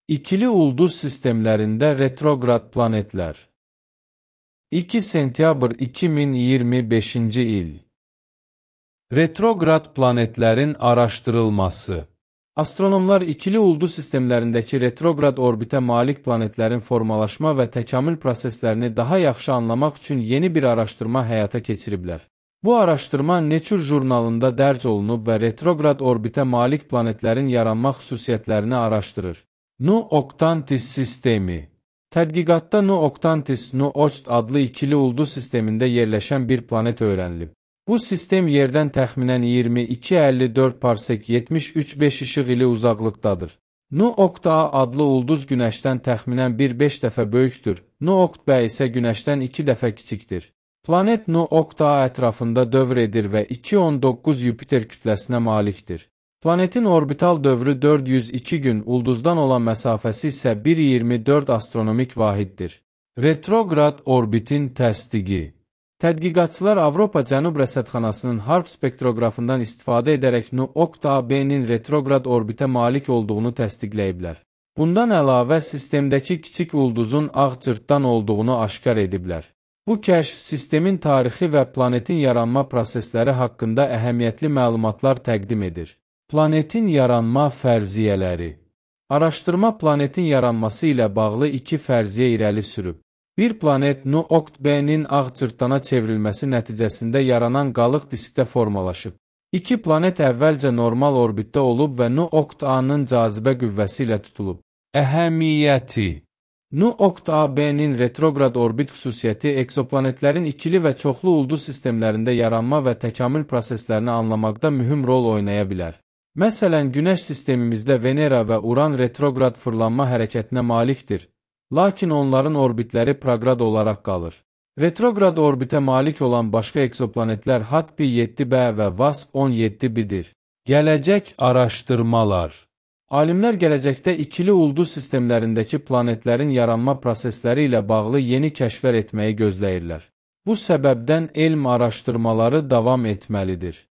İkili ulduz sistemlərində retrograd planetlər. 2 sentyabr 2025-ci il. Retrograd planetlərin araşdırılması. Astronomlar ikili ulduz sistemlərindəki retrograd orbitə malik planetlərin formalaşma və təkamül proseslərini daha yaxşı anlamaq üçün yeni bir araşdırma həyata keçiriblər. Bu araşdırma Nature jurnalında dərc olunub və retrograd orbitə malik planetlərin yaranma xüsusiyyətlərini araşdırır. Nu Octantis sistemi. Tədqiqatda Nu Octantis Nu Oct adlı ikili ulduz sistemində yerləşən bir planet öyrənilib. Bu sistem yerdən təxminən 22-54 parsek 73,5 işıq ili uzaqlıqdadır. Nu Oct A adlı ulduz Günəşdən təxminən 1,5 dəfə böyükdür. Nu Oct B isə Günəşdən 2 dəfə kiçikdir. Planet Nu Oct A ətrafında dövr edir və 2,19 Yupiter kütləsinə malikdir. Planetin orbital dövrü 402 gün, ulduzdan olan məsafəsi isə 1,24 astronomik vahiddir. Retrograd orbitin təsdiqi. Tədqiqatçılar Avropa Cənub Rəsədxanasının HARP spektroqrafından istifadə edərək Nu Oct AB-nin retrograd orbitə malik olduğunu təsdiqləyiblər. Bundan əlavə, sistemdəki kiçik ulduzun ağ cırtdan olduğunu aşkar ediblər. Bu kəşf sistemin tarixi və planetin yaranma prosesləri haqqında əhəmiyyətli məlumatlar təqdim edir. Planetin yaranma fərziyyələri. Araşdırma planetin yaranması ilə bağlı iki fərziyyə irəli sürüb. Bir planet Nu Oct B-nin ağ cırtdana çevrilməsi nəticəsində yaranan qalıq diskdə formalaşıb. İki planet əvvəlcə normal orbitdə olub və Nu Oct A-nın cazibə qüvvəsi ilə tutulub. Əhəmiyyəti. Nu Oct AB-nin retrograd orbit xüsusiyyəti eksoplanetlərin ikili və çoxlu ulduz sistemlərində yaranma və təkamül proseslərini anlamaqda mühüm rol oynaya bilər. Məsələn, Günəş sistemimizdə Venera və Uran retrograd fırlanma hərəkətinə malikdir, lakin onların orbitləri prograd olaraq qalır. Retrograd orbitə malik olan başqa eksoplanetlər HAT-B 7b və VASP 17b-dir. Gələcək araşdırmalar. Alimlər gələcəkdə ikili ulduz sistemlərindəki planetlərin yaranma prosesləri ilə bağlı yeni kəşflər etməyi gözləyirlər. Bu səbəbdən elm araşdırmaları davam etməlidir.